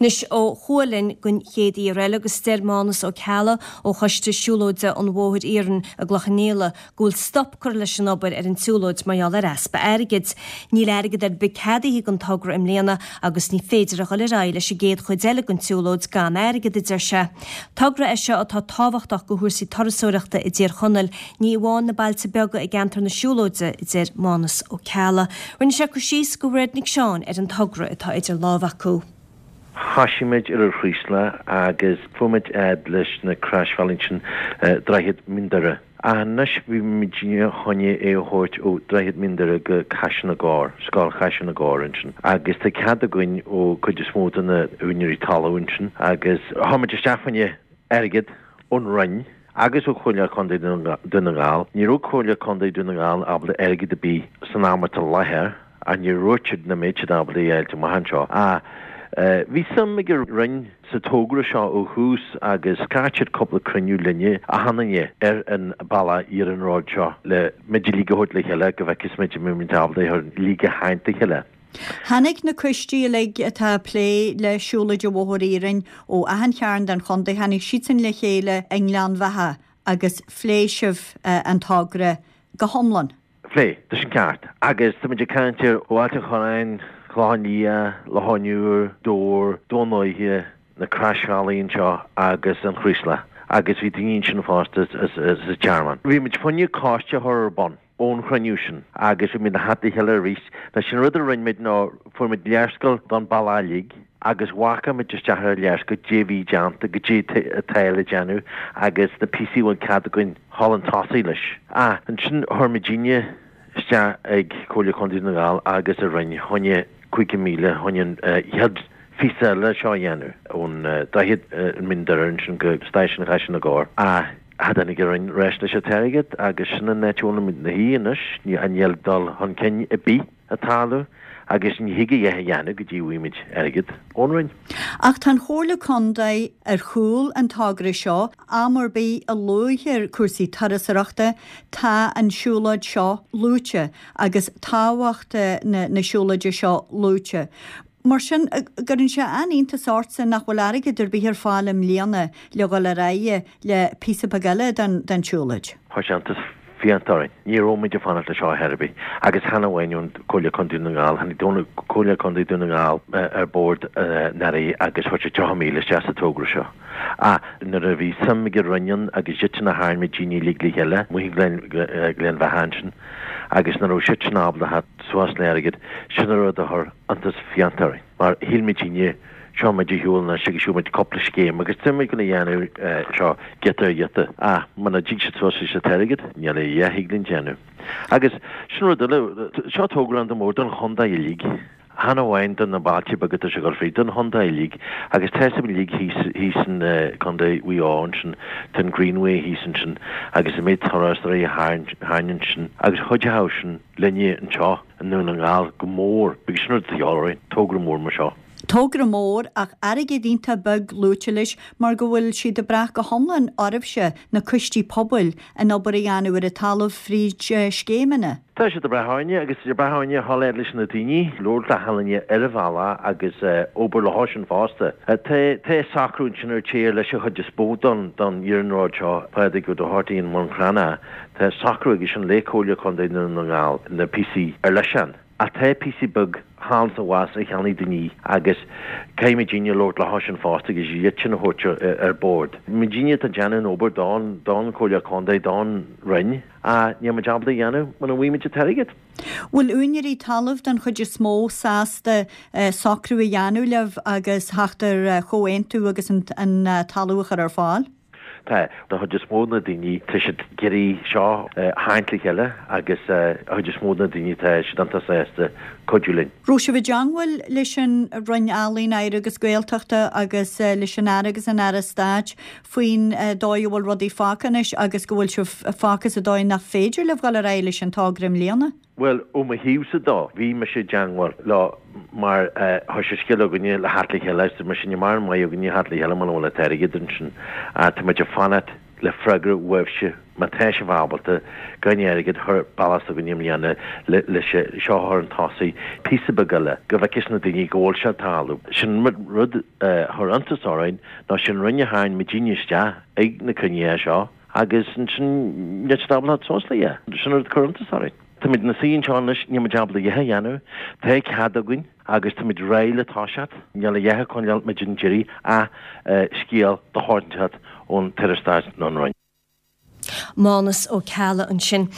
Anois ó Chualann linn don chéad aoi eile agus deir Mánas Ó Ceallaigh ó Choiste Siúlóide an Bhóthair Iarainn i gCloich Cheann Fhaola go bhfuil stop curtha leis an obair ar an tsiúlóid mar gheall ar easpa airgid. Níl airgead ar bith ceadaithe don togra i mbliana agus ní féidir a dhul ar aghaidh leis an gcéad chuid eile den tsiúlóid gan airgead, a deir sé. Togra é seo atá tábhachtach do chúrsaí turasóireachta i dTír Chonaill, ní amháin na bailte beaga i gceantar na siúlóide, a deir Mánas Ó Ceallaigh. Rinne sé cur síos do Mhairéad Nic Seáin ar an togra atá idir lámha acu. Thoisigh muid ar an Chraoslach agus fuair muid fhad leis na croisbhealaí ansin, Droichead Mín Doire. Ach anois bhí muidne chun é a thabhairt ó Droichead Mín Doire go Caiseal na gCorr, Scoil Chaiseal na gCorr ansin. Agus tá cead againn ó cuid is mó de na úinéirí talún ansin agus chuir muid isteach fá choinne airgead ón Roinn agus ó Chomhairle Contae Dhún na nGall. Ní raibh Comhairle Contae Dhún na nGall ábalta airgead ar bith san am atá i láthair ach níor dhúirt siad nach mbeadh siad ábalta é a fháilt amach anseo. Ach bhí suim ag an Roinn sa togra seo ó thús agus scairt siad cúpla cruinniú linne achan duine ar an bealach iarnróid seo le muid uilig a thabhairt le chéile go bhfeicfeas muid an mbeidh muid ábalta é a uilig a tharraingt le chéile. Tháinig na coistí uilig atá ag plé le Siúlóid an Bhóthair Iarainn ó achan chearn den chontae, tháinig siadsan le chéile i nGleann Bheatha agus phléigh sibh an togra go hiomlán. Phléigh, tá sin ceart. Agus tá muid ag caint ar ó Ailt an Chorráin, Clochán Liath, Loch an Iúir, Dobhar, Dún Lúiche, na Croisbhealaí anseo agus an Chraoslach agus bhí daoine ansin fosta sa Tearmann. Bhí muid fá choinne coiste a chur ar bun. ón chruinniú sin agus bhí muid le theacht le chéile arís. Now sin rud a rinne muid ná fuair muid léarscáil don bealach uilig agus mharcáil muid isteach ar an léarscáil goidé a bhí déanta, goidé atá le déanamh agus na píosaí a bhfuil cead againn dhul chun tosaigh leis. Ah, ansin chuir muidinne isteach ag Comhairle Contae Dhún na nGall agus an Roinn fá choinne 50,000 fá choinne an chéad phíosa eile seo a dhéanamh ón Droichead Mín Doire ansin go Stáisiún Chaiseal na gCorr. Ah. Cha dtáinig an Roinn ar ais leis an t-airgead agus sin an áit a bhfuilimid 'na shuí anois, níl dul chun cinn ar bith ag tarlú agus ní thig a dhath a dhéanamh go dtí a bhfaighimid airgead ón Roinn. Ach tá an Chomhairle Contae ar chúl an togra seo, am ar bith a luaitear cúrsaí turasóireachta tá an siúlóid seo luaite agus tábhacht na siúlóide seo luaite. Mar sin, cuireann sé an-iontas ortsa nach bhfuil airgead ar bith ar fáil i mbliana le dhul ar aghaidh le píosa beag eile den tsiúlóid. Chuir sé iontas fiánta orainn. Ní raibh muid ag fanacht leis seo ar chor ar bith. Agus chan amháin ón Comhairle Contae Dhún na nGall, tháinig Comhairle Contae Dhún na nGall ar bord anuraidh agus chuir siad 30,000 isteach sa togra seo. Ach nuair a bhí suim ag an Roinn ann agus iad sin a tharraing muidinne uilig le chéile, amuigh i nGleann Bheatha ansin, agus nach raibh siad sin ábalta theacht suas le airgead, sin an rud a chuir iontas fiánta orainn, mar shíl muidinne, seo muid ar shiúl anois agus gheobhaidh muid cúpla scéim agus tá muid chun a dhéanamh seo giota ar ghiota. Ach muna dtig siad suas leis an t-airgead, níl a dhath a thig linn déanamh. Agus sin rud eile, seo togra iontach mór don chontae uilig, chan amháin do na bailte beaga atá sé ag dul fríd, don chontae uilig. Agus tá fhios againn uilig thíos, thíos in Contae Mhaigh Eo ansin, tá an Greenway thíos ansin agus an méid turasóirí a tharraingt ansin agus chuideodh sin linne anseo. i nDún na nGall go mór agus sin rud atá de dhíobháil orainn, togra mór mar seo. Togra mór ach airgead iontach beag luaite leis mar go bhfuil siad ag brath go hiomlán oraibhse, na coistí pobail, an obair a dhéanamh ar an talamh fríd scéimeanna. Tá siad ag brath orainne agus ag brath orainne a dhul fhad leis na daoine, labhairt le hachan duine ar an bhealach agus obair leo sin fosta. Tá tá socrú ansin ar tír leis an chuid is mó don don iarnród seo, Pádraig Ó Dochartaigh an Bhun Cranncha. Tá socrú aige sin le Comhairle Contae Dhún na nGall na píosaí ar leis ann. Ach tá píosaí beag thall is abhus a cheannaigh daoine agus caithfidh muidinne labhairt leo sin fosta agus iad sin a thabhairt ar bord. Muidinne atá ag déanamh an obair don don Chomhairle Contae, don Roinn ach níl muid ábalta a dhéanamh muna bhfaighidh muid an t-airgead. Bhfuil úinéirí talaimh den chuid is mó sásta socrú a dhéanamh libh agus theacht ar chomhaontú agus an talamh a chur ar fáil? Tá, don chuid is mó de na daoine, tá siad ag iarraidh seo a tharraingt le chéile agus an chuid is mó de na daoine, tá siad iontach sásta cuidiú linn. Raibh sibh i dteangmháil leis an Roinn Ealaíon, Oidhreachta agus Gaeltachta agus leis an Aire agus an Aire Stáit faoin dóigh a bhfuil rudaí fágtha anois agus go bhfuil sibh fágtha sa dóigh nach féidir libh dhul ar aghaidh leis an togra i mbliana? Bhuel, ó mo thaobhsa dó, bhí mise i dteangmháil leo mar tá sé scéal againne le theacht le chéile agus tá mise ní maireann maith againne theacht le chéile muna bhfuil an t-airgead ansin. Tá muid ag fanacht. le freagra uaibhse má tá sibh ábalta gan airgead a chur bealach s'againne i mbliana le seo a chur chun tosaigh píosa beag eile go bhfeicfeas na daoine go bhfuil sé ag tarlú. Sin rud a chuir iontas orainn ná sin Roinn a tharraing muidinne isteach ag na cruinnithe seo agus ansin níl siad ábalta teacht suas léi. Sin rud a chuir iontas orainn. Táimid ina suí anseo anois, níl muid ábalta a dhath a dhéanamh. Tá cead againn agus táimid réidh le toiseacht. Níl a dhath ag coinneáil muid an deiridh ach scéal de shórt inteacht ón tAire Stáit nó an Roinn. Mánas Ó Ceallaigh ansin.